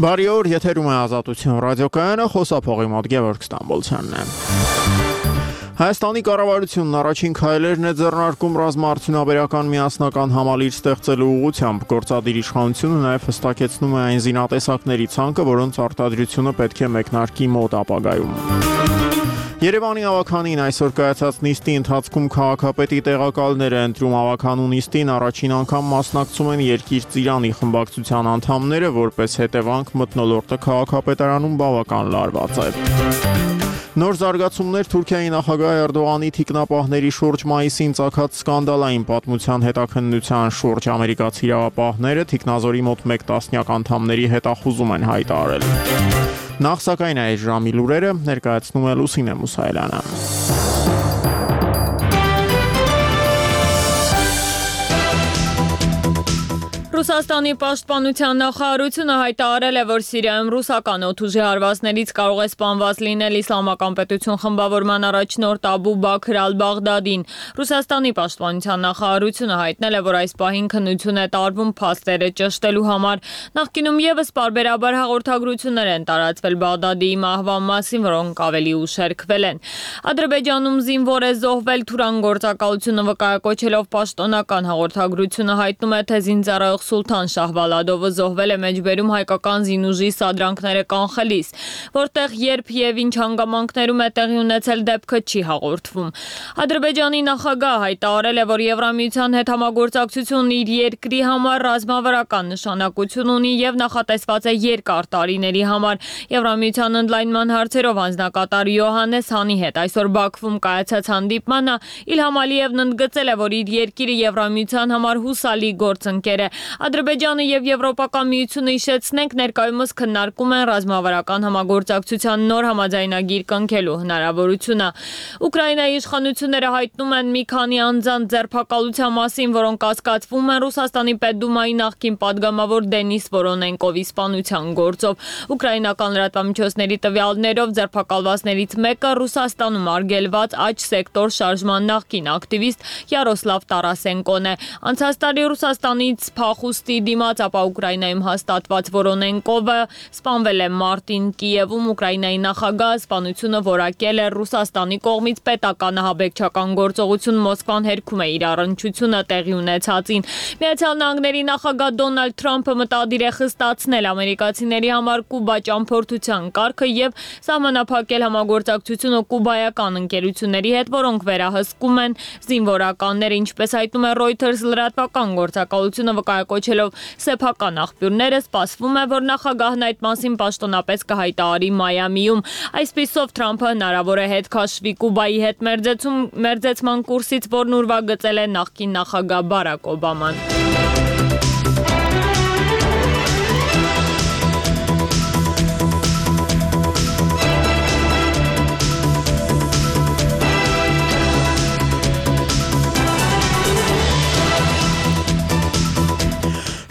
Բարի օր, եթերում է Ազատություն ռադիոկայանը, խոսափողի մոտ Գևորգ Ստամբոլցյանն է։ Հայաստանի կառավարությունն առաջին քայլերն է ձեռնարկում ռազմաարդյունաբերական միասնական համալիր ստեղծելու ուղղությամբ։ Գործադիր իշխանությունը նաև հստակեցնում է այն զինատեսակների ցանկը, որոնց արտադրությունը պետք է մեկնարկի մոտ ապագայում։ Երևանի ավականին այսօր կայացած նիստի ընթացքում քաղաքապետի տեղակալներ է ընտրում ավականու նիստին առաջին անգամ մասնակցում են Երկիր Ծիրանի խմբակցության անդամները, որպես հետևանք մթնոլորտը քաղաքապետարանում բավական լարված է։ Նոր զարգացումներ Թուրքիայի նախագահ Էրդողանի թիկնապահների շուրջ մայիսին ծագած սկանդալային պատմության հետաքննության շուրջ ամերիկացի իրավապահները թիկնազորի մոտ 1 տասնյակ անդամների հետախուզում են հայտարարել։ Նախ սակայն այս ժամի լուրերը ներկայացնում է Լուսինե Մուսայելյանը։ Ռուսաստանի պաշտպանության նախարարությունը հայտարարել է, որ Սիրիայում ռուսական օդուժի հարվածներից կարող է սպանված լինել Իսլամական պետություն խմբավորման առաջնորդ Աբու Բաքր ալ-Բաղդադին։ Ռուսաստանի պաշտպանության նախարարությունը հայտնել է, որ այս պահին քննություն է տարվում փաստերը ճշտելու համար։ Նախկինում եւս պարբերաբար հաղորդագրություններ են տարածվել Բաղդադի մահվան մասին, որոնք ավելի ուշ հերքվել են։ Ադրբեջանում զինվոր է զոհվել Թուրան գործակալությունը վկայակոչելով պաշտոնական հաղորդագրությունը հայտնում է, թե զինծառայող Սուլթան Շահվալադովը զոհվել է մեջբերում հայկական զինուժի սադրանքները կանխելիս, որտեղ երբ եւ ինչ հանգամանքներում է տեղի ունեցել դեպքը չի հաղորդվում։ Ադրբեջանի նախագահը հայտարարել է, որ Եվրամիության հետ համագործակցությունն իր երկրի համար ռազմավարական նշանակություն ունի եւ նախատեսված է երկար տարիների համար։ Եվրամիության ընդլայնման հարցերով անձնակատար Յոհաննես Հանի հետ այսօր Բաքվում կայացած հանդիպմանը Իլհամ Ալիևն ընդգծել է, որ իր երկիրը Եվրամիության համար հուսալի գործընկեր է։ Ադրբեջանը եւ Եվրոպական միությունը հիշեցնենք ներկայումս քննարկում են ռազմավարական համագործակցության նոր համաձայնագիր կնքելու հնարավորությունը։ Ուկրաինայի իշխանությունները հայտնում են մի քանի անձանց ձերբակալության մասին, որոնք կասկածվում են Ռուսաստանի Պետդումայի նախկին падգամավոր Դենիս Վորոնենկովի սպանության գործով։ Ուկրաինական լրատվամիջոցների տվյալներով ձերբակալվածներից մեկը Ռուսաստանում արգելված աջ սեկտոր շարժման նախկին ակտիվիստ Յարոսլավ Տարասենկոն է։ Անցած տարի Ռուսաստանից փախուստի դիմաց, ապա Ուկրաինայում հաստատված Վորոնենկովը սպանվել է մարտին Կիևում։ Ուկրաինայի նախագահը սպանությունը որակել է Ռուսաստանի կողմից պետական ահաբեկչական գործողություն Մոսկվան հերքում է իր առնչությունը տեղի ունեցածին։ Միացյալ Նահանգների նախագահ Դոնալդ Թրամփը մտադիր է խստացնել ամերիկացիների համար Կուբա ճամփորդության կարգը եւ սահմանափակել համագործակցությունը կուբայական ընկերությունների հետ, որոնք վերահսկում են զինվորականները, ինչպես հայտնում է Reuters լրատվական գործակալությունը վկայակոչելով սեփական աղբյուրները, սպասվում է, որ նախագահն այդ մասին պաշտոնապես կհայտարարի Մայամիում։ Այսպիսով Թրամփը հնարավոր է հետ քաշվի Կուբայի հետ մերձեցման կուրսից, որն ուրվագծել է նախկին նախագահ Բարակ Օբաման։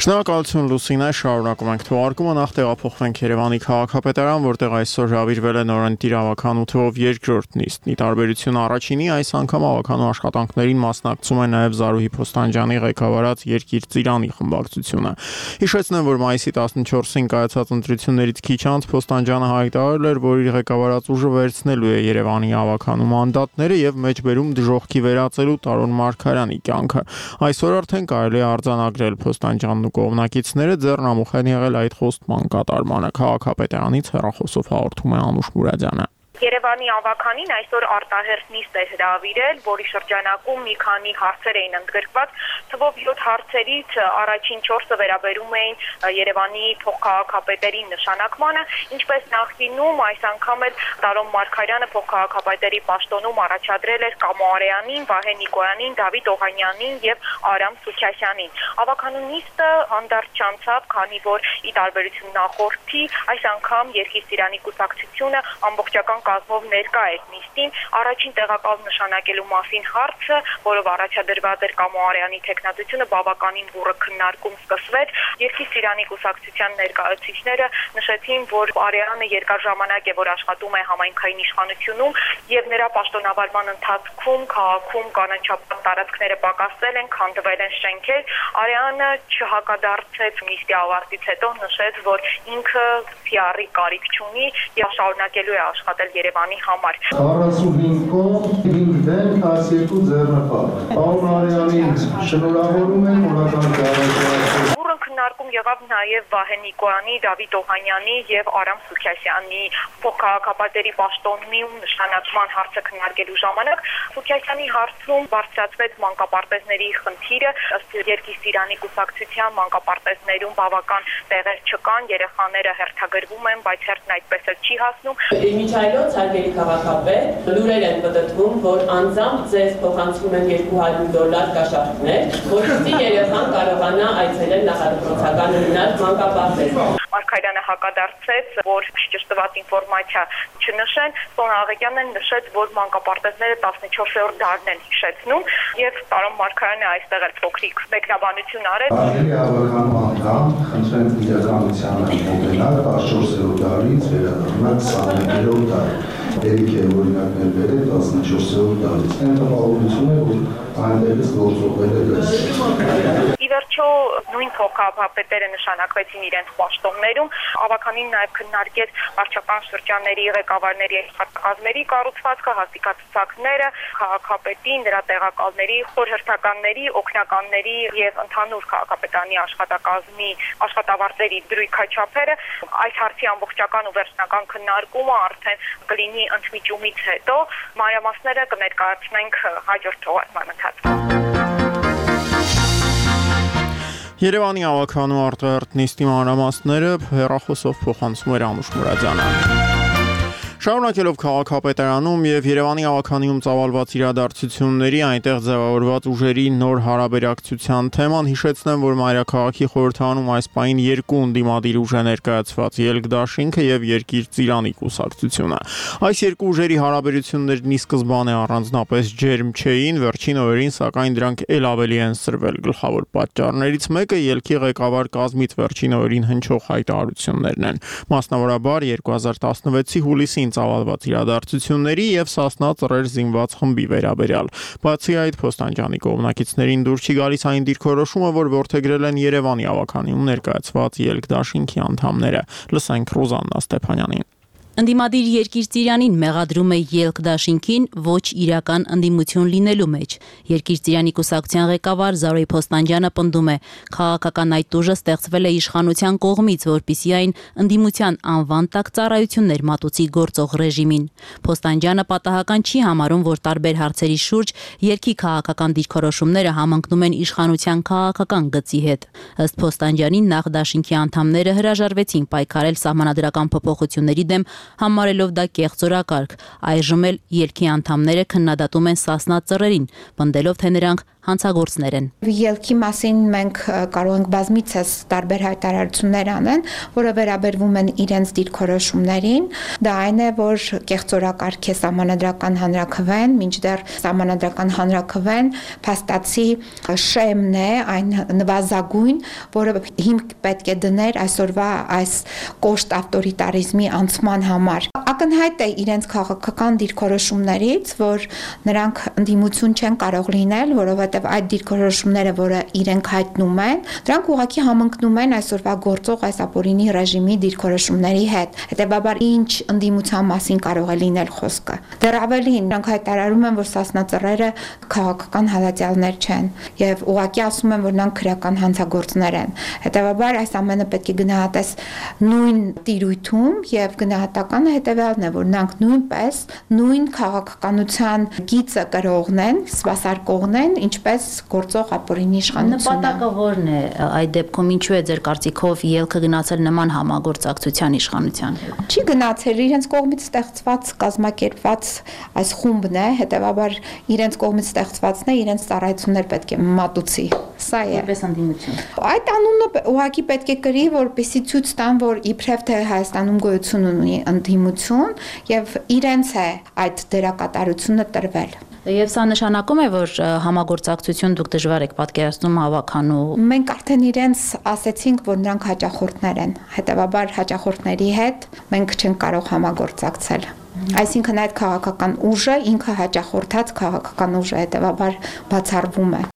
Շնորհակալություն Լուսինե, շարունակում ենք թողարկումը, նախ տեղափոխվենք Երևանի քաղաքապետարան, որտեղ այսօր հրավիրվել է նորընտիր ավականու թվով երկրորդ նիստ։ Ի տարբերություն առաջինի, այս անգամ ավականու աշխատանքներին մասնակցում է նաև Զարուհի Փոստանջյանի ղեկավարած Երկիր Ծիրանի խմբակցությունը։ Հիշեցնեմ, որ մայիսի 14-ին կայացած ընտրություններից քիչ անց Փոստանջյանը հայտարարել էր, որ իր ղեկավարած ուժը վերցնելու է Երևանի ավականու մանդատները եւ մեջբերում դժոխքի վերածելու Տարոն Մարգարյանի կյանքը։ Այսօր արդեն կարելի է արձանագրել Փոստանջյանն կողմնակիցները ձեռնամուխ են եղել այդ խոստման կատարմանը։ Քաղաքապետարանից հեռախոսով հաղորդում է Անուշ Մուրադյանը։ Երևանի ավականին այսօր արտահերթ նիստ է հրավիրել, որի շրջանակում մի քանի հարցեր էին ընդգրկված, թվով 7 հարցերից առաջին 4-ը վերաբերում էին Երևանի փոխքաղաքապետերի նշանակմանը, ինչպես նախկինում այս անգամ էլ Տարոն Մարգարյանը փոխքաղաքապետերի պաշտոնում առաջադրել էր Կամո Արեյանին, Վահե Նիկոյանին, Դավիթ Օհանյանին եւ Արամ Սուքյասյանին։ Ավականու նիստը հանդարտ չանցավ, քանի որ ի տարբերություն նախորդի այս անգամ Երկիր Ծիրանի կուսակցությունը ամբողջական կազմով ներկա էր նիստին, առաջին տեղակալ նշանակելու մասին հարցը, որով առաջադրված էր Կամո Արեանի թեկնածությունը, բավականին բուռը քննարկում սկսվեց։ Երկրի Սիրանի կուսակցության ներկայացուցիչները նշեցին, որ Արեանը երկար ժամանակ է, որ աշխատում է համայնքային իշխանությունում եւ նրա պաշտոնավարման ընթացքում քաղաքում կանաչապատ տարածքները պակասել են, քանդվել են շենքեր։ Արեանը չհակադարձեց նիստի ավարտից հետո, նշեց, որ ինքը PR-ի կարիք չունի եւ շարունակելու է աշխատել Երևանի համար։ 45 կողմ, 5 դեմ, 12 ձեռնպատ։ Պարոն Արեանին շնորհավորում եմ օրական ճանաչման։ Քննարկում եղավ նաև Վահե Նիկոյանի, Դավիթ Օհանյանի եւ Արամ Սուքիասյանի փոխքաղաքապետերի պաշտոնի ու նշանակման հարցը քննարկելու ժամանակ Սուքիասյանի հարցում բարձրացվեց մանկապարտեզների խնդիրը, ըստ Երկրի Սիրանի կուսակցության մանկապարտեզներում բավական տեղեր չկան, երեխաները հերթագրվում են, բայց հերթն այդպես էլ չի հասնում։ Միջայլոց հարգելի քաղաքապետ, լուրեր են պտտվում, որ անձամբ ձեզ փոխանցում են $200 կաշառքներ, որպեսզի երեխան կարողանա այցելել նախադպրոցական հիմնարկ մանկապարտեզ։ Մարգարյանը հակադարձեց, որ ճշտված ինֆորմացիա չնշեն, Սոնա Աղեկյանն նշեց, որ մանկապարտեզները 14-րդ դարն են հիշեցնում եւ պարոն Մարգարյանը այստեղ էլ փոքրիկ մեկնաբանություն արել։ Արգելի ավականու անդամ, խնդրեմ իրականությանը մոտենալ 14-րդ դարից վերադառնալ 21-րդ դար։ Երիք է օրինակներ բերել 14-րդ դարից։ Այն տպավորություն է, որ այնտեղից գործողվել է դες։ Ի վերջո նույն փոխքաղաքապետերը նշանակվեցին իրենց պաշտոններում, ավականին նաև քննարկեց վարչական շրջանների ղեկավարների աշխատակազմերի կառուցվածքը, հաստիկացուցակները, քաղաքապետի, նրա տեղակալների, խորհրդականների, օգնականների եւ ընդհանուր քաղաքապետանի աշխատակազմի աշխատավարձերի դրույքաչափերը։ Այս հարցի ամբողջական ու վերջնական քննարկումը արդեն կլինի ընդմիջումից հետո, մանրամասները կներկայացնենք հաջորդ թողարկման ընթացքում։ Երևանի ավականու արտահերթ նիստի մանրամասները հեռախոսով փոխանցում էր Անուշ Մուրադյանը։ Շարունակելով քաղաքապետարանում եւ Երևանի ավականիում ծավալված իրադարձությունների այնտեղ ձևավորված ուժերի նոր հարաբերակցության թեման, հիշեցնեմ, որ Մայրաքաղաքի խորհրդարանում այս պահին երկու ընդդիմադիր ուժ է ներկայացված՝ Ելք դաշինքը եւ Երկիր Ծիրանի կուսակցությունը։ Այս երկու ուժերի հարաբերություններն ի սկզբանե առանձնապես ջերմ չէին, վերջին օրերին սակայն դրանք ել ավելի են սրվել։ Գլխավոր պատճառներից մեկը Ելքի ղեկավար կազմից վերջին օրերին հնչող հայտարարություններն են։ Մասնավորաբար 2016-ի հուլիսին ծավալված իրադարձությունների եւ Սասնա ծռեր զինված խմբի վերաբերյալ։ Բացի այդ, Փոստանջանի կողմնակիցներին դուր չի գալիս այն դիրքորոշումը, որ որդեգրել են Երևանի ավականիում ներկայացված Ելք դաշինքի անդամները։ Լսենք Ռոզաննա Ստեփանյանին։ Ընդդիմադիր Երկիր Ծիրանին մեղադրում է Ելք դաշինքին ոչ իրական ընդդիմություն լինելու մեջ։ Երկիր Ծիրանի կուսակցության ղեկավար Զարոյ Փոստանջյանը պնդում է, քաղաքական այդ ուժը ստեղծվել է իշխանության կողմից, որպեսզի այն ընդդիմության անվան տակ ծառայություններ մատուցի գործող ռեժիմին։ Փոստանջյանը պատահական չի համարում, որ տարբեր հարցերի շուրջ Ելքի քաղաքական դիրքորոշումները համընկնում են իշխանության քաղաքական գծի հետ։ Ըստ Փոստանջյանի, նախ դաշինքի անդամները հրաժարվեցին պայքարել սահմանադրական փոփոխությունների դեմ, համարելով դա կեղծորակարգ։ Այժմ էլ Ելքի անդամները քննադատում են Սասնա ծռերին, պնդելով, թե նրանք հանցագործներ են։ Ելքի մասին մենք կարող ենք բազմիցս տարբեր հայտարարություններ անեն, որը վերաբերվում են իրենց դիրքորոշումներին։ Դա այն է, որ կեղծորակարգ է սահմանադրական հանրաքվեն, մինչդեռ սահմանադրական հանրաքվեն փաստացի շեմն է, այն նվազագույն, որը հիմք պետք է դներ այսօրվա այս կոշտ ավտորիտարիզմի անցման համար։ Ակնհայտ է իրենց քաղաքական դիրքորոշումներից, որ նրանք ընդդիմություն չեն կարող լինել, որովհետև այդ դիրքորոշումները, որը իրենք հայտնում են, դրանք ուղղակի համընկնում են այսօրվա գործող այս ապօրինի ռեժիմի դիրքորոշումների հետ։ Հետևաբար ինչ ընդդիմության մասին կարող է լինել խոսքը։ Դեռ ավելին, նրանք հայտարարում են, որ Սասնա ծռերը քաղաքական հալածյալներ չեն եւ ուղղակի ասում են, որ նրանք քրեական հանցագործներ են։ Հետևաբար այս ամենը պետք է գնահատես նույն տիրույթում եւ գնահատականը հետեւյալն է, որ նրանք նույնպես նույն քաղաքականության գիծը կրողն են, սպասարկողն են, ինչպես գործող ապօրինի իշխանությունը։ Նպատակը ո՞րն է այդ դեպքում, ինչու է ձեր կարծիքով Ելքը գնացել նման համագործակցության իշխանության հետ։ Չի գնացել, իրենց կողմից ստեղծված կազմակերպված այս խումբն է, հետեւաբար իրենց կողմից ստեղծվածն է, իրենց ծառայություններ պետք է մատուցի։ Սա է։ Որպես ընդդիմություն։ Այդ անունը ուղղակի պետք է կրի, որպեսզի ցույց տան, որ իբրև թե Հայաստանում գոյություն ունի ընդդիմություն եւ իրենց է այդ դերակատարությունը տրվել։ Եվ սա նշանակում է, որ համագործակցություն դուք դժվար եք պատկերացնում հավաքանու։ Մենք արդեն իրենց ասեցինք, որ նրանք հաճախորդներ են, հետեւաբար հաճախորդների հետ մենք չենք կարող համագործակցել։ Այսինքն այդ քաղաքական ուժը ինքը հաճախորդած քաղաքական ուժ է, հետեւաբար բացառվում է։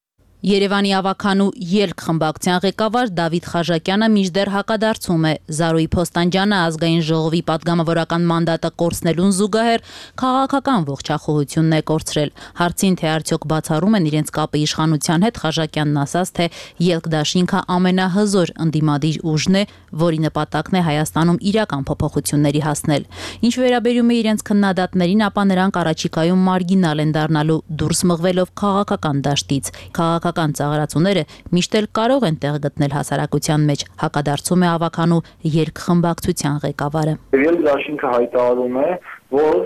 Երևանի ավականու ելք խմբակցության ղեկավար Դավիթ Խաժակյանը մինչդեռ հակադարձում է Զարուհի Փոստանջյանը ազգային ժողովի պատգամավորական մանդատը կորցնելուն զուգահեռ քաղաքական ողջախոհությունն է կորցրել։ Հարցին թե արդյոք բացառում են իրենց կապը իշխանության հետ, Խաժակյանն ասաց, թե ելք դաշինքը ամենահզոր ընդդիմադիր ուժն է, որի նպատակն է Հայաստանում իրական փոփոխությունների հասնել։ Ինչ վերաբերում է իրենց քննադատներին, ապա նրանք առաջիկայում մարգինալ են դառնալու, դուրս մղվելով քաղաքական դաշտից։ Քաղաքական ծաղրացուները միշտ էլ կարող են տեղ գտնել հասարակության մեջ, հակադարձում է ավականու ելք խմբակցության ղեկավարը։ Ելք դաշինքը հայտարարում է, որ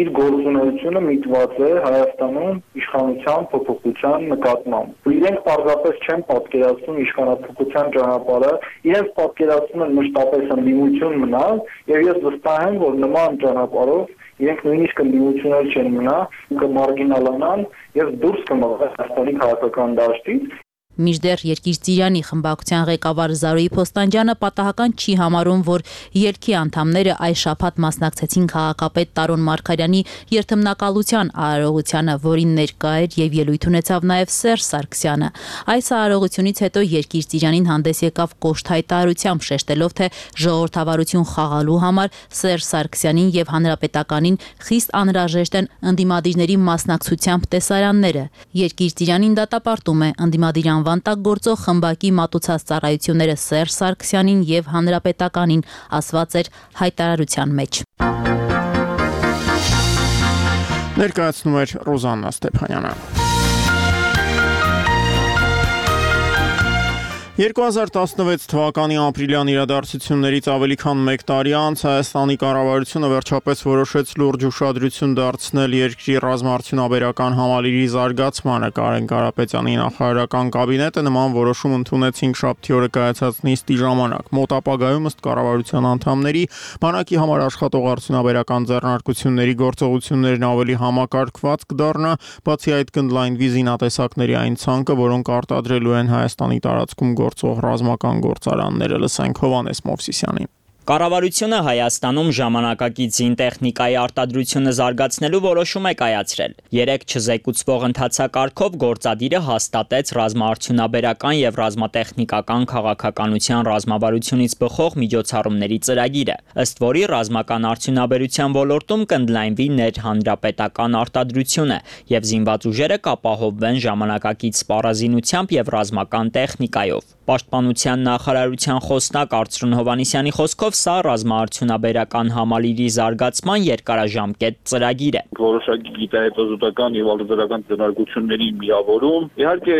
իր գործունեությունը միտված է Հայաստանում իշխանության փոփոխության նկատմամբ։ Իրենք պարզապես չեն պատկերացնում իշխանափոխության ճանապարհը, իրենց պատկերացնում են մշտապես ընդդիմություն մնալ, եւ ես վստահ եմ, որ նման ճանապարհով իրենք նույնիսկ ընդդիմություններ չեն մնա, կմարգինալանան եւ դուրս կմղվեն Հայաստանի քաղաքական դաշտից։ Մինչդեռ Երկիր Ծիրանի խմբակցության ղեկավար Զարուհի Փոստանջյանը պատահական չի համարում, որ ելքի անդամները այս շաբաթ մասնակցեցին քաղաքապետ Տարոն Մարգարյանի երթմնակալության արարողությանը, որին ներկա էր եւ ելույթ ունեցավ նաեւ Սերժ Սարգսյանը։ Այս արարողությունից հետո Երկիր Ծիրանին հանդես եկավ կոշտ հայտարարությամբ, շեշտելով, թե ժողովրդավարություն խաղալու համար Սերժ Սարգսյանին եւ Հանրապետականին խիստ անհրաժեշտ են ընդդիմադիրների մասնակցությամբ տեսարանները։ Երկիր Ծիրանին դատապարտում է ընդդիմադիր անվանտակ գործող խմբակի մատուցած ծառայությունները Սերժ Սարգսյանին եւ Հանրապետականին, ասված էր հայտարարության մեջ։ Ներկայացնում էր Ռոզաննա Ստեփանյանը։ 2016 թվականի ապրիլյան իրադարձություններից ավելի քան 1 տարի անց Հայաստանի կառավարությունը վերջապես որոշեց լուրջ ուշադրություն դարձնել երկրի ռազմաարդյունաբերական համալիրի զարգացմանը։ Կարեն Կարապետյանի նախարարական կաբինետը նման որոշում ընդունեց 5-շաբթի օրը կայացած նիստի ժամանակ։ Մոտ ապագայում ըստ կառավարության անդամների բանակի համար աշխատող արդյունաբերական ձեռնարկությունների գործողություններն ավելի համակարգված կդառնա, բացի այդ կընդլայնվի զինատեսակների այն ցանկը, որոնք արտադրելու են Հայաստանի տարածքում գործող ռազմական գործարանները, լսենք Հովանես Մովսիսյանին։ Կառավարությունը Հայաստանում ժամանակակից զինտեխնիկայի արտադրությունը զարգացնելու որոշում է կայացրել։ 3 չզեկուցվող ընթացակարգով գործադիրը հաստատեց ռազմաարդյունաբերական եւ ռազմատեխնիկական քաղաքականության ռազմավարությունից բխող միջոցառումների ծրագիրը, ըստ որի ռազմական արդյունաբերության ոլորտում կընդլայնվի ներհանրապետական արտադրությունը եւ զինված ուժերը կապահովվեն ժամանակակից սպառազինությամբ եւ ռազմական տեխնիկայով։ Պաշտպանության նախարարության խոսնակ Արծրուն Հովանեսյանի խոսքով սա ռազմաարդյունաբերական համալիրի զարգացման երկարաժամկետ ծրագիր է։ Որոշակի գիտահետազոտական եւ արտադրական ձեռնարկությունների միավորում, իհարկե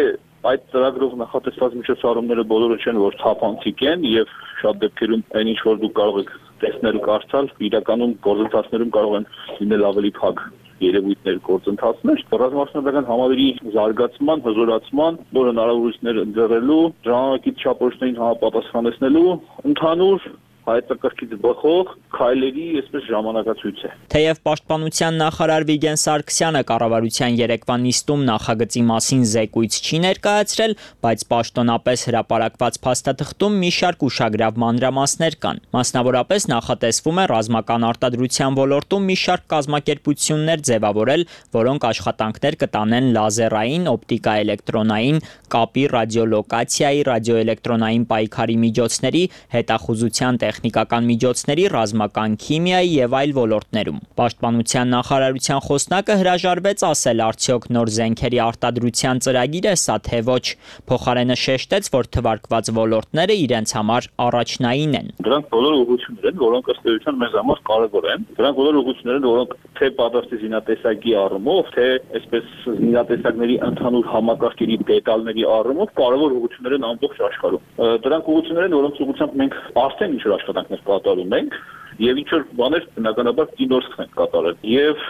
այդ ծրագրով նախատեսված միջոցառումները բոլորը չեն, որ թափանցիկ են եւ շատ դեպքերում այն ինչ որ դուք կարող եք տեսնել ու կարդալ, իրականում գործընթացներում կարող են լինել ավելի փակ երևույթներ գործընթացներ, ռազմաարդյունաբերական համալիրի զարգացման, հզորացման, նոր հնարավորություններ ընձեռելու, ժամանակից չափորոշներին համապատասխանեցնելու ընդհանուր հայեցակարգից բխող քայլերի այսպես ժամանակացույց է։ Թեև պաշտպանության նախարար Վիգեն Սարգսյանը կառավարության երեկվա նիստում նախագծի մասին զեկույց չի ներկայացրել, բայց պաշտոնապես հրապարակված փաստաթղթում մի շարք ուշագրավ մանրամասներ կան։ Մասնավորապես նախատեսվում է ռազմական արտադրության ոլորտում մի շարք կազմակերպություններ ձևավորել, որոնք աշխատանքներ կտանեն լազերային, օպտիկա-էլեկտրոնային, կապի, ռադիոլոկացիայի, ռադիոէլեկտրոնային պայքարի միջոցների, հետախուզության տեխնիկական միջոցների, ռազմական քիմիայի եւ այլ ոլորտներում։ Պաշտպանության նախարարության խոսնակը հրաժարվեց ասել արդյոք նոր զենքերի արտադրության ծրագիր է սա թե ոչ։ Փոխարենը շեշտեց, որ թվարկված ոլորտները իրենց համար առաջնային են։ Դրանք բոլոր ուղղություններ են, որոնք ըստ էության մեզ համար կարևոր են։ Դրանք բոլոր ուղղություններ են, որոնք թե պատրաստի զինատեսակի առումով, թե այսպես զինատեսակների ընդհանուր համակարգերի դետալների առումով կարևոր ուղղություններ են ամբողջ աշխարհում։ Դրանք ուղղություններ են, որոնց ուղղությամբ մենք արդեն ինչ աշխատանքներ կատարում ենք եւ ինչ որ բաներ բնականաբար դինորսք ենք կատարել եւ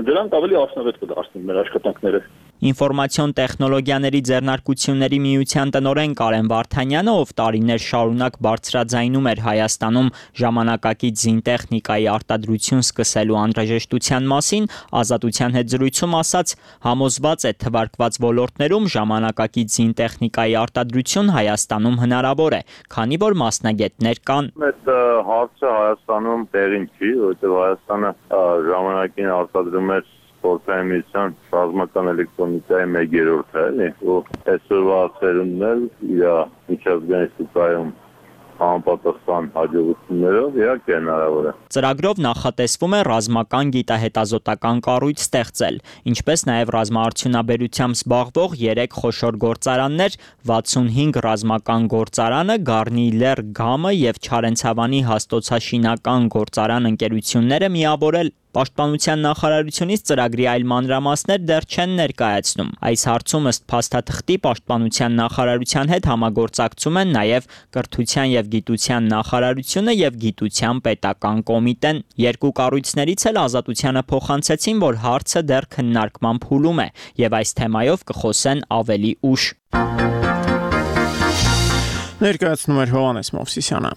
դրանք ավելի արդյունավետ կդարձնեն մեր աշխատանքները։ Ինֆորմացիոն տեխնոլոգիաների ձեռնարկությունների միության տնօրեն Կարեն Վարդանյանը, ով տարիներ շարունակ բարձրաձայնում էր Հայաստանում ժամանակակից զինտեխնիկայի արտադրություն սկսելու անհրաժեշտության մասին, Ազատության հետ զրույցում ասաց, համոզված է թվարկված ոլորտներում ժամանակակից զինտեխնիկայի արտադրություն Հայաստանում հնարավոր է, քանի որ մասնագետներ կան։ Այդ հարցը Հայաստանում տեղին չի, որովհետև Հայաստանը ժամանակին արտադրում էր Սպորտային միության ռազմական էլեկտրոնիկայի 1/3 է, ու այսօրվա ծերունդն էլ իր միջազգային շուկայում համապատասխան հաջողություններով իհարկե հնարավոր է։ Ծրագրով նախատեսվում է ռազմական գիտահետազոտական կառույց ստեղծել, ինչպես նաև ռազմաարդյունաբերությամբ զբաղվող 3 խոշոր գործարաններ, 65 ռազմական գործարանը, Գառնի Լեռ Գամը եւ Չարենցավանի հաստոցաշինական գործարան ընկերությունները միավորել։ Պաշտպանության նախարարությունից ծրագրի այլ մանրամասներ դեռ չեն ներկայացնում։ Այս հարցում ըստ փաստաթղթի Պաշտպանության նախարարության հետ համագործակցում են նաև Կրթության եւ Գիտության նախարարությունը եւ Գիտության պետական կոմիտեն։ Երկու կառույցներից էլ Ազատությանը փոխանցեցին, որ հարցը դեռ քննարկման փուլում է եւ այս թեմայով կխոսեն ավելի ուշ։ Ներկայացնում էր Հովհաննես Մովսիսյանը։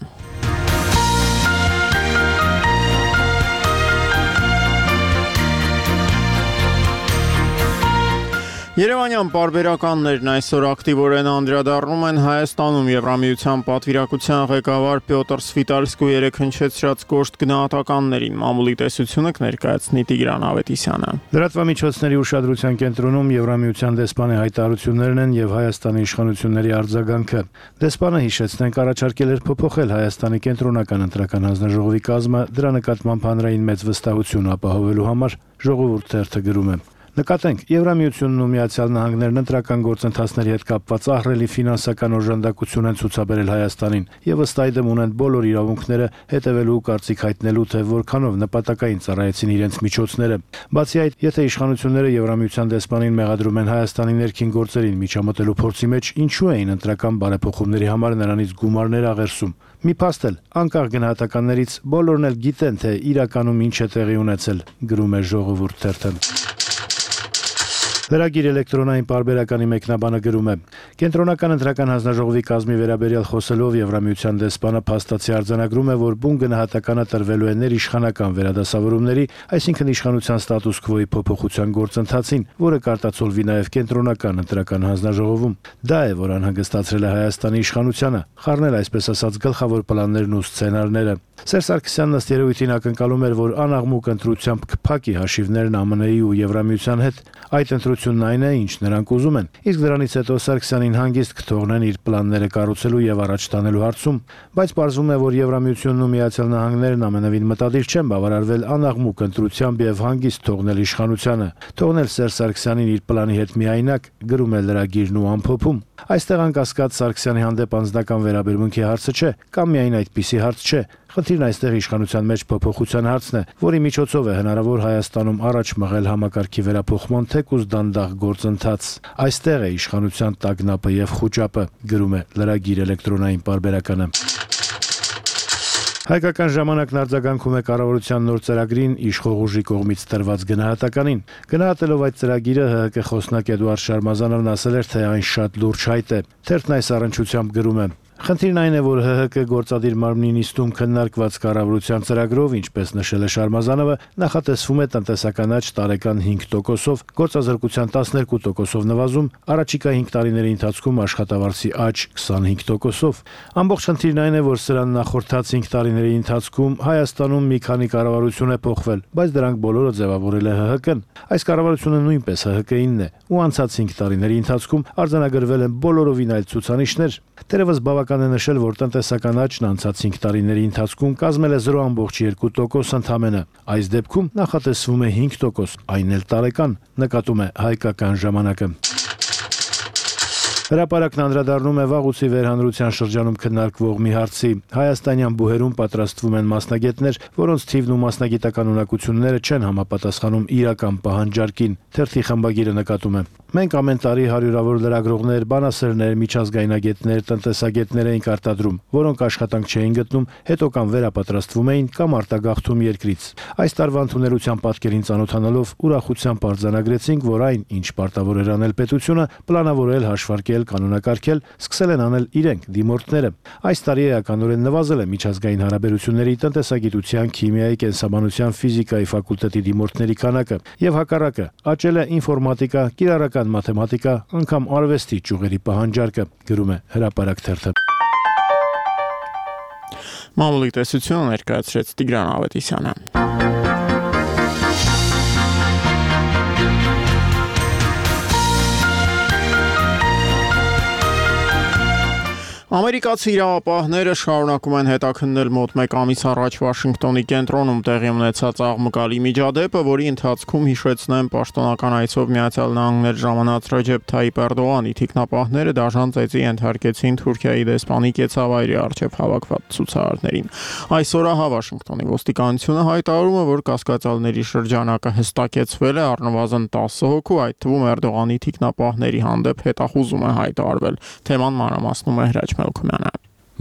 Երևանյան պարբերականներն այսօր ակտիվորեն անդրադառնում են Հայաստանում Եվրամիության պատվիրակության ղեկավար Պյոտր Սվիտալսկու երեկ հնչեցրած կոշտ գնահատականներին։ Մամուլի տեսությունը կներկայացնի Տիգրան Ավետիսյանը։ Լրատվամիջոցների ուշադրության կենտրոնում Եվրամիության դեսպանի հայտարարություններն են եւ Հայաստանի իշխանությունների արձագանքը։ Դեսպանը հիշեցնենք առաջարկել էր փոփոխել Հայաստանի կենտրոնական ընտրական հանձնաժողովի կազմը, դրա նկատմամբ հանրային մեծ վստահություն ապահովելու համար ժողովուրդ թերթը գրում է. Նկատենք, Եվրամիությունն ու Միացյալ Նահանգներն ընտրական գործընթացների հետ կապված ահռելի ֆինանսական օժանդակություն են ցուցաբերել Հայաստանին եւ ըստ այդմ ունեն բոլոր իրավունքները հետևելու ու կարծիք հայտնելու, թե որքանով նպատակային ծառայեցին իրենց միջոցները։ Բացի այդ, եթե իշխանությունները Եվրամիության դեսպանին մեղադրում են Հայաստանի ներքին գործերին միջամտելու փորձի մեջ, ինչու էին ընտրական բարեփոխումների համար նրանից գումարներ աղերսում։ Մի փաստ էլ, անկախ գնահատականներից բոլորն էլ գիտեն, թե իրականում ինչ է տեղի ունեցել, գրում է Ժողովուրդ թերթը։ Լրագիր էլեկտրոնային պարբերականի մեկնաբանը գրում է. Կենտրոնական ընտրական հանձնաժողովի կազմի վերաբերյալ խոսելով Եվրամիության դեսպանը փաստացի արձանագրում է, որ բուն գնահատականը տրվելու է ներիշխանական վերադասավորումների, այսինքն իշխանության ստատուս քվոյի փոփոխության գործընթացին, որը կարտացոլվի նաև կենտրոնական ընտրական հանձնաժողովում։ Դա է, որ անհանգստացրել է Հայաստանի իշխանությանը, խառնել այսպես ասած գլխավոր պլաններն ու սցենարները։ Սերժ Սարգսյանն ըստ երևույթին ակնկալում էր, որ անաղմուկ ընտրությամբ կփակի հաշիվներն ԱՄՆ-ի ու Եվրամիության հետ։ Այդ ընտրությունն այն է, ինչ նրանք ուզում են, իսկ դրանից հետո Սարգսյանին հանգիստ կթողնեն իր պլանները կառուցելու եւ առաջ տանելու հարցում, բայց պարզվում է, որ Եվրամիությունն ու Միացյալ Նահանգներն ամենևին մտադիր չեն բավարարվել անաղմուկ ընտրությամբ եւ հանգիստ թողնել իշխանությանը, թողնել Սերժ Սարգսյանին իր պլանի հետ միայնակ, գրում է լրագիրն ու ամփոփում։ Այստեղ անկասկած Սարգսյանի հանդեպ անձնական վերաբերմունքի հարցը չէ, կամ միայն այդպիսի հարց չէ։ Խնդիրն այստեղ իշխանության մեջ փոփոխության հարցն է, որի միջոցով է հնարավոր Հայաստանում առաջ մղել համակարգի վերափոխման թեկուզ դանդաղ գործընթաց։ Այստեղ է իշխանության տագնապը եւ խուճապը, գրում է լրագիր էլեկտրոնային պարբերականը։ Հայկական ժամանակն արձագանքում է կառավարության նոր ծրագրին իշխող ուժի կողմից տրված գնահատականին։ Գնահատելով այդ ծրագիրը ՀՀԿ խոսնակ Էդուարդ Շարմազանովն ասել էր, թե այն շատ լուրջ հայտ է։ Թերթն այս առնչությամբ գրում է. Խնդիրն այն է, որ ՀՀԿ գործադիր մարմնի նիստում քննարկված կառավարության ծրագրով, ինչպես նշել է Շարմազանովը, նախատեսվում է տնտեսական աճ տարեկան 5%-ով, գործազրկության 12%-ով նվազում, առաջիկա 5 տարիների ընթացքում աշխատավարձի աճ 25%-ով։ Ամբողջ խնդիրն այն է, որ սրան նախորդած 5 տարիների ընթացքում Հայաստանում մի քանի կառավարություն է փոխվել, բայց դրանք բոլորը ձևավորել է ՀՀԿ-ն։ Այս կառավարությունը նույնպես ՀՀԿ-ինն է, ու անցած 5 տարիների ընթացքում արձանագրվել են բոլորովին այլ ցուցանիշներ։ Տերևս բավական է նշել, որ տնտեսական աճն անցած 5 տարիների ընթացքում կազմել է 0.2% ընդամենը։ Այս դեպքում նախատեսվում է 5%, այն էլ տարեկան, նկատում է Հայկական ժամանակը։ Հրապարակն անդրադառնում է վաղուցի վերհանրության շրջանում քննարկվող մի հարցի։ Հայաստանյան բուհերում պատրաստվում են մասնագետներ, որոնց թիվն ու մասնագիտական ունակությունները չեն համապատասխանում իրական պահանջարկին։ Թերթի խմբագիրը նկատում է. Մենք ամեն տարի հարյուրավոր լրագրողներ, բանասերներ, միջազգայնագետներ, տնտեսագետներ էինք արտադրում, որոնք աշխատանք չէին գտնում, հետո կամ վերապատրաստվում էին կամ արտագաղթում երկրից։ Այս տարվա ընդունելության պատկերին ծանոթանալով ուրախությամբ արձանագրեցինք, որ այն, ինչ պարտավոր էր անել պետությունը, պլանավորել, հաշվարկել, կանոնակարգել, սկսել են անել իրենք դիմորդները։ Այս տարի էականորեն նվազել է միջազգային հարաբերությունների, տնտեսագիտության, քիմիայի, կենսաբանության, ֆիզիկայի ֆակուլտետի դիմորդների քանակը եւ հակառակը աճել է ինֆորմատիկա, կիրառական մաթեմատիկա, անգամ արվեստի ճյուղերի պահանջարկը, գրում է Հրապարակ թերթը։ Մամուլի տեսությունը ներկայացրեց Տիգրան Ավետիսյանը։ Ամերիկացի իրավապահները շարունակում են հետաքննել մոտ 1 ամիս առաջ Վաշինգտոնի կենտրոնում տեղի ունեցած աղմկալի միջադեպը, որի ընթացքում հիշեցնեմ պաշտոնական այցով Միացյալ Նահանգներ ժամանած Ռեջեփ Թայիփ Էրդողանի թիկնապահները դաժան ծեծի ենթարկեցին Թուրքիայի դեսպանի կեցավայրի առջև հավաքված ցուցարարներին։ Այսօր Վաշինգտոնի ոստիկանությունը հայտարարում է, որ կասկածյալների շրջանակը հստակեցվել է, առնվազն 10 հոգու, այդ թվում Էրդողանի թիկնապահների հանդեպ հետախուզում է հայտարարվել։ Թեման մանրամասնում է Հրաչ Մելքումյանը։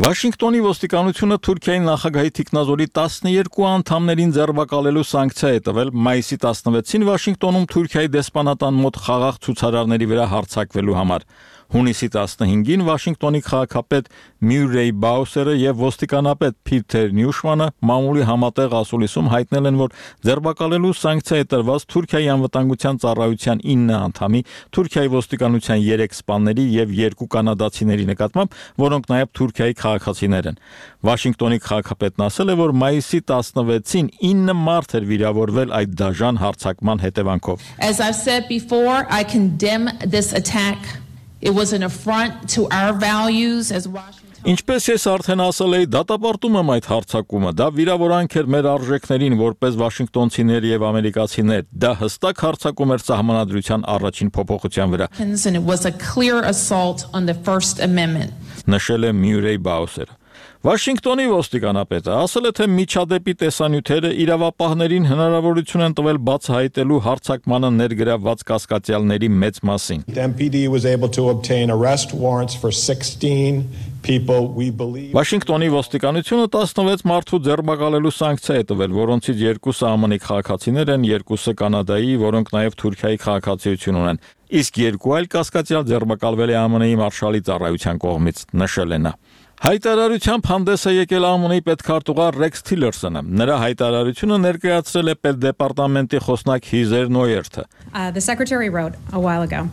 Վաշինգտոնի ոստիկանությունը Թուրքիայի նախագահի թիկնազորի 12 անդամներին ձերբակալելու սանկցիա է տվել մայիսի 16-ին Վաշինգտոնում Թուրքիայի դեսպանատան մոտ խաղաղ ցուցարարների վրա հարձակվելու համար։ Հունիսի 15-ին Վաշինգտոնի քաղաքապետ Մյուրեյ Բաուսերը եւ ոստիկանապետ Փիթեր Նյուշմանը մամուլի համատեղ ասուլիսում հայտնել են, որ ձերբակալելու սանկցիա է տրված Թուրքիայի անվտանգության ծառայության 9 անդամի, Թուրքիայի ոստիկանության 3 սպաների եւ 2 կանադացիների նկատմամբ, որոնք նաեւ Թուրքիայի քաղաքացիներ են։ Վաշինգտոնի քաղաքապետն ասել է, որ մայիսի 16-ին 9 մարդ էր վիրավորվել այդ դաժան հարձակման հետևանքով։ As I've said before, I condemn this attack. It was an affront to our values as Washington. Ինչպես ես արդեն ասել էի, դատապարտում եմ այդ հարձակումը, դա վիրավորանք էր մեր արժեքներին որպես վաշինգտոնցիներ եւ ամերիկացիներ, դա հստակ հարձակում էր սահմանադրության առաջին փոփոխության վրա։ And it was a clear assault on the First Amendment. Նշել է Մյուրեյ Բաուսերը։ Վաշինգտոնի ոստիկանապետը ասել է, թե միջադեպի տեսանյութերը իրավապահներին հնարավորություն են տվել բացահայտելու հարձակմանը ներգրավված կասկածյալների մեծ մասին։ MPD was able to obtain arrest warrants for 16 people we believe. Վաշինգտոնի ոստիկանությունը 16 մարդու ձերբակալելու սանկցիա է տվել, որոնցից 2-ը ԱՄՆ քաղաքացիներ են, 2-ը Կանադայի, որոնք նաև Թուրքիայի քաղաքացիություն ունեն։ Իսկ 2 այլ կասկածյալ ձերբակալվել է ԱՄՆ-ի մարշալի ծառայության կողմից, նշել է նա։ Հայտարարությամբ հանդես է եկել ԱՄՆ-ի պետքարտուղար Ռեքս Թիլերսոնը։ Նրա հայտարարությունը ներկայացրել է պետդեպարտամենտի խոսնակ Հիզեր Նոյերթը։ The secretary wrote a while ago.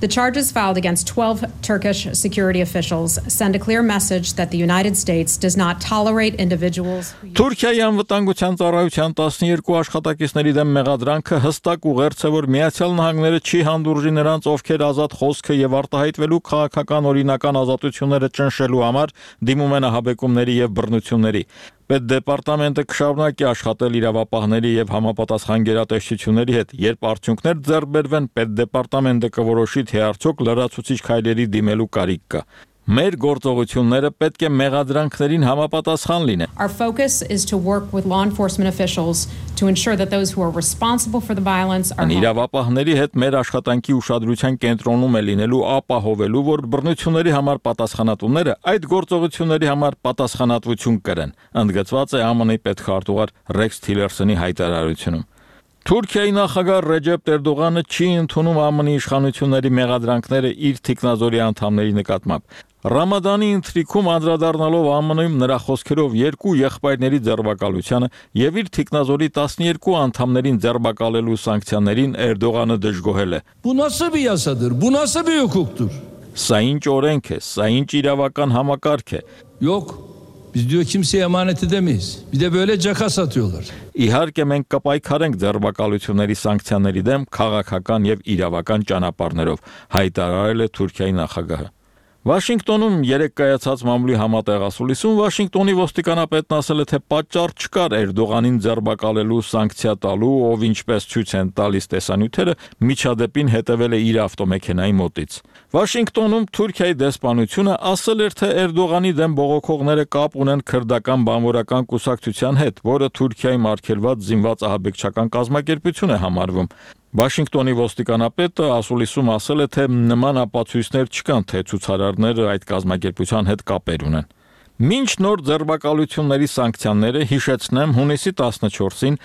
The charges filed against 12 Turkish security officials send a clear message that the United States does not tolerate individuals. Թուրքիայի անվտանգության ծառայության 12 աշխատակիցների դեմ մեղադրանքը հստակ ուղերձ է, որ Միացյալ Նահանգները չի հանդուրժի նրանց, ովքեր ազատ խոսքը եւ արտահայտվելու քաղաքական օրինական ազատությունները ճնշելու համար դիմում են ահաբեկումների եւ բռնությունների։ Պետդեպարտամենտը կշարունակի աշխատել իրավապահների եւ համապատասխան գերատեսչությունների հետ, երբ արդյունքներ ձեռք բերվեն, պետդեպարտամենտը կորոշի, թե արդյոք լրացուցիչ քայլերի դիմելու կարիք կա։ Մեր գործողությունները պետք է մեղադրանքներին համապատասխան լինեն։ Our focus is to work with law enforcement officials to ensure that those who are responsible for the violence are Իրավապահների հետ մեր աշխատանքի ուշադրության կենտրոնում է լինելու ապահովելու, որ բռնությունների համար պատասխանատուները այդ գործողությունների համար պատասխանատվություն կրեն, ընդգծված է ԱՄՆ-ի պետքարտուղար Ռեքս Թիլերսոնի հայտարարությունում։ Թուրքիայի նախագահ Ռեջեփ Էրդողանը չի ընդունում ԱՄՆ-ի իշխանությունների մեղադրանքները իր թիկնազորի անդամների նկատմամբ։ Ռամադանի ընթրիքում անդրադառնալով ԱՄՆ-ում նրա խոսքերով 2 եղբայրների ձերբակալությանը եւ իր թիկնազորի 12 անդամներին ձերբակալելու սանկցիաներին Էրդողանը դժգոհել է։ Bu nasıl bir yasadır? Bu nasıl bir hukuktur? Սա ինչ օրենք է, սա ինչ իրավական համակարգ է։ Yok. Biz diyor kimseye emanet edemeyiz. Bir de böyle caka satıyorlar. Իհարկե մենք կպայքարենք ձերբակալությունների սանկցիաների դեմ քաղաքական եւ իրավական ճանապարհներով, հայտարարել է Թուրքիայի նախագահը։ Վաշինգտոնում երեկ կայացած մամուլի համատեղ ասուլիսում Վաշինգտոնի ոստիկանապետն ասել է, թե պատճառ չկար Էրդողանին ձերբակալելու սանկցիա տալու, ով ինչպես ցույց են տալիս տեսանյութերը, միջադեպին հետևել է իր ավտոմեքենայի մոտից։ Վաշինգտոնում Թուրքիայի դեսպանությունը ասել էր, թե Էրդողանի դեմ բողոքողները կապ ունեն քրդական բանվորական կուսակցության հետ, որը Թուրքիայի մարգելված զինված ահաբեկչական կազմակերպություն է համարվում։ Վաշինգտոնի ոստիկանապետը ասուլիսում ասել է, թե նման ապացույցներ չկան, թե ցուցարարները այդ կազմակերպության հետ կապեր ունեն։ Մինչ նոր ձերբակալությունների սանկցիաները, հիշեցնեմ, հունիսի 14-ին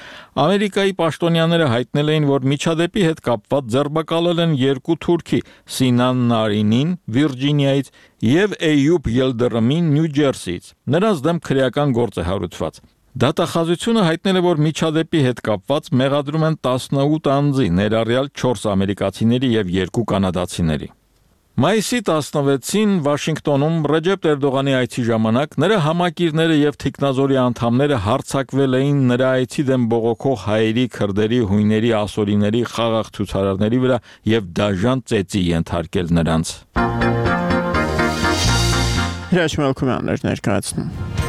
Ամերիկայի պաշտոնյաները հայտնել էին, որ միջադեպի հետ կապված ձերբակալել են 2 թուրքի՝ Սինան Նարինին Վիրջինիայից եւ Էյուբ Ելդրամին Նյու Ջերսիից։ Նրանց դեմ քրեական գործ է հարուցված։ Դատախազությունը հայտնել է, որ միջադեպի հետ կապված մեղադրում են 18 անձի, ներառյալ 4 ամերիկացիների եւ 2 կանադացիների։ Մայիսի 16-ին Վաշինգտոնում Ռեջեփ Էրդողանի այցի ժամանակ նրա համակիրները եւ թիկնազորի անդամները հարձակվել էին նրա այցի դեմ բողոքող հայերի, քրդերի, հույների, ասորիների, խաղաղ ցուցարարների վրա եւ դաժան ծեծի ենթարկել նրանց։ Հրաշք Մելքումյաններ ներկայացնում։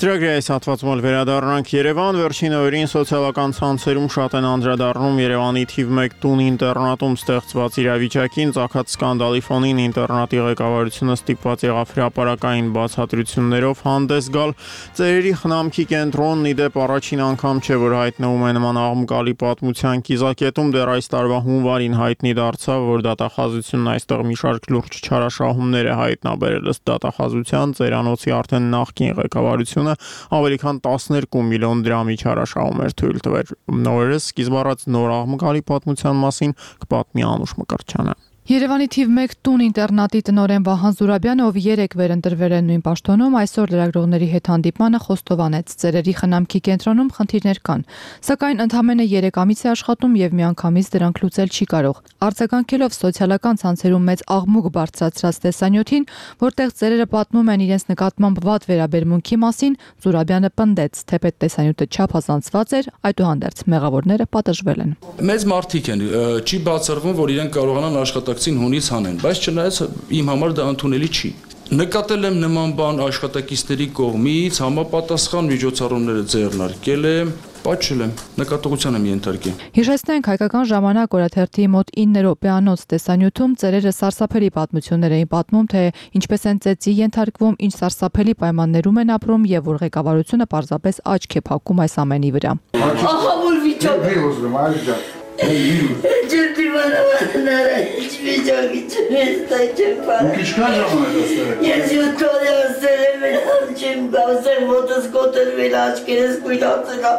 Ծրագրի այս հատվածում վերադառնանք Երևան, վերջին օրերին սոցիալական ցանցերում շատ են անդրադառնում Երևանի թիվ 1 տուն ինտերնատում ստեղծված իրավիճակին, ծագած սկանդալի ֆոնին ինտերնատի ղեկավարությունը ստիպված եղավ հրապարակային բացատրություններով հանդես գալ։ Ծերերի խնամքի կենտրոնն ի դեպ առաջին անգամ չէ, որ հայտնվում է նման աղմկալի պատմության կիզակետում, դեռ այս տարվա հունվարին հայտնի դարձավ, որ դատախազությունն այստեղ մի շարք լուրջ չարաշահումներ է հայտնաբերել, ըստ դատախազության ծերանոցի արդեն նախկին ղեկավարությունը ավելի քան 12 միլիոն դրամի չարաշահում էր թույլ տվել։ Նորերս սկիզբ առած նոր աղմկալի պատմության մասին կպատմի Անուշ Մկրտչյանը։ Երևանի թիվ 1 տուն ինտերնատի տնօրեն Վահան Զուրաբյանը, ով երեկ վերընտրվել է նույն պաշտոնում, այսօր լրագրողների հետ հանդիպմանը խոստովանեց, ծերերի խնամքի կենտրոնում խնդիրներ կան, սակայն ընդամենը 3 ամիս է աշխատում եւ միանգամից դրանք լուծել չի կարող։ Արձագանքելով սոցիալական ցանցերում մեծ աղմուկ բարձրացրած տեսանյութին, որտեղ ծերերը պատմում են իրենց նկատմամբ վատ վերաբերմունքի մասին, Զուրաբյանը պնդեց, թեպետ տեսանյութը չափազանցված էր, այդուհանդերձ մեղավորները պատժվել են։ Մեծ մարդիկ են, չի բացառվում, որ իրենք կարողանան աշխատակցին հունից հանեն, բայց չնայած իմ համար դա ընդունելի չի։ Նկատել եմ նման բան աշխատակիցների կողմից, համապատասխան միջոցառումները ձեռնարկել եմ, պատժել եմ, նկատողության եմ ենթարկել։ Հիշեցնենք, հայկական ժամանակ օրաթերթի մոտ 9 րոպեանոց տեսանյութում ծերերը սարսափելի պատմություններ էին պատմում, թե ինչպես են ծեծի ենթարկվում, ինչ սարսափելի պայմաններում են ապրում եւ որ ղեկավարությունը պարզապես աչք է փակում այս ամենի վրա։ Ահա որ վիճակ Ջերդի վանավանները վիճակի չմեստայ չեմ պարը։ Ու կիչքան ժամանակ ասել։ Ես յուտոն է ասել եմ են չեմ գավսել ոտս կոտերվել աչկերես կույլացելա։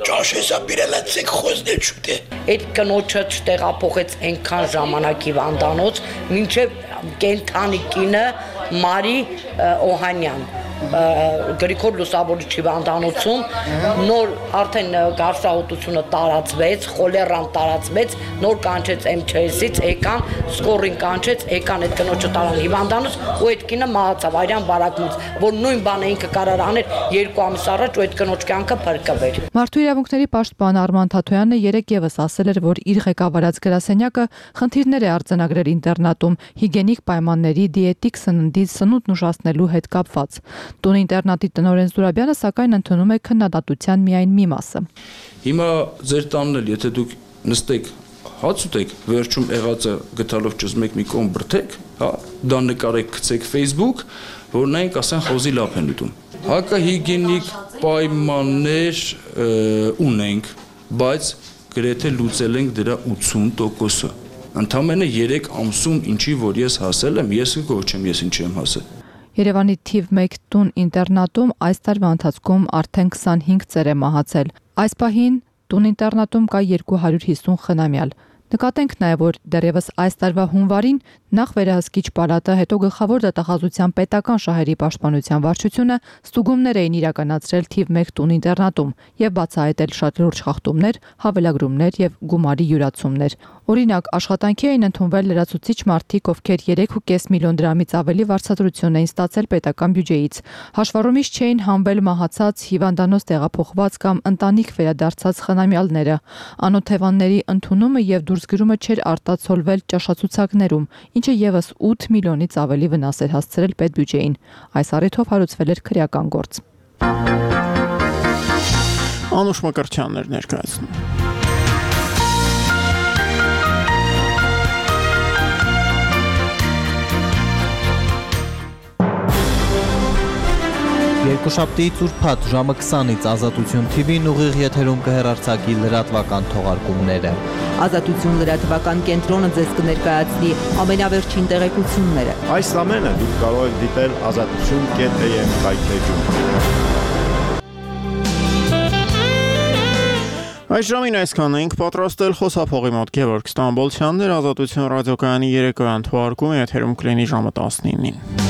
Ճաշեսա բիրելացեք խոզնել չուտ է։ Այդ կնոչը չտեղափոխեց ենքան ժամանակի վանդանոց, մինչև կենթանի կինը Մարի Օհանյան Գրիգոր Լուսավորիչի վանդանոցում նոր արդեն գարշահոտությունը տարածվեց, խոլերան տարածվեց, նոր կանչեց MЧS-ից, եկան, սկորին կանչեց, եկան այդ կնոջը տարան հիվանդանոց ու այդ կինը մահացավ Արյան բարակումից, որ նույն բանը ինքը կարար աներ 2 ամիս առաջ ու այդ կնոջ կյանքը փրկվեր։ Մարդու իրավունքների պաշտպան Արման Թաթոյանը երեկ եւս ասել էր, որ իր ղեկավարած գրասենյակը խնդիրներ է արձանագրել ինտերնատում հիգիենիկ պայմանների, դիետիկ սննդի, սնունդ ուշացնելու հետ կապված։ Տուն ինտերնատի տնօրեն Զուրաբյանը սակայն ընդունում է քննադատության միայն մի մասը։ Հիմա ձեր տանն էլ, եթե դուք նստեք, հաց ուտեք, վերջում եղածը գտալով ճզմեք մի կողմ բրդեք, հա, դա նկարեք, գցեք Facebook, որ նայենք ասեն խոզի լապ են ուտում։ Հակահիգիենիկ պայմաններ ունենք, բայց գրեթե լուծել ենք դրա 80%-ը։ Ընդամենը 3 ամսում ինչի որ ես հասել եմ, ես կգոչեմ, ես ինչ եմ հասել։ Երևանի թիվ 1 տուն ինտերնատում այս տարվա ընթացքում արդեն 25 ծեր է մահացել։ Այս պահին տուն ինտերնատում կա 250 խնամյալ։ Նկատենք նաև, որ դեռևս այս տարվա հունվարին նախ վերահսկիչ պալատը, հետո գլխավոր դատախազության պետական շահերի պաշտպանության վարչությունը ստուգումներ էին իրականացրել թիվ 1 տուն ինտերնատում եւ բացահայտել շատ լուրջ խախտումներ, հավելագրումներ եւ գումարի յուրացումներ։ Օրինակ, աշխատանքի էին ընդունվել լրացուցիչ մարդիկ, ովքեր 3.5 միլիոն դրամից ավելի վարձատրություն էին ստացել պետական բյուջեից։ Հաշվառումից չէին հանվել մահացած, հիվանդանոց տեղափոխված կամ ընտանիք վերադարձած խնամյալները։ Անօթևանների ընդունումը եւ դուրսգրումը չէր արտացոլվել ճաշացուցակներում, ինչը եւս 8 միլիոնից ավելի վնաս էր հասցրել պետբյուջեին։ Այս առիթով հարուցվել էր քրեական գործ։ Անուշ Մկրտչյանն էր ներկայացնում։ Երկուշաբթիից ուրբաթ ժամը 20-ից Ազատություն TV-ն ուղիղ եթերում կհեռարձակի լրատվական թողարկումները։ Ազատություն լրատվական կենտրոնը ձեզ կներկայացնի ամենավերջին տեղեկությունները։ Այս ամենը դուք կարող եք դիտել azatutun.am վայրէջում։ Այս ժամին այսքան ենք պատրաստել խոսափողի մոտ Գևորգ Ստամբոլցյանն էր, Ազատություն ռադիոկայանի երեկոյան թողարկումը եթերում կլինի ժամը 19-ին։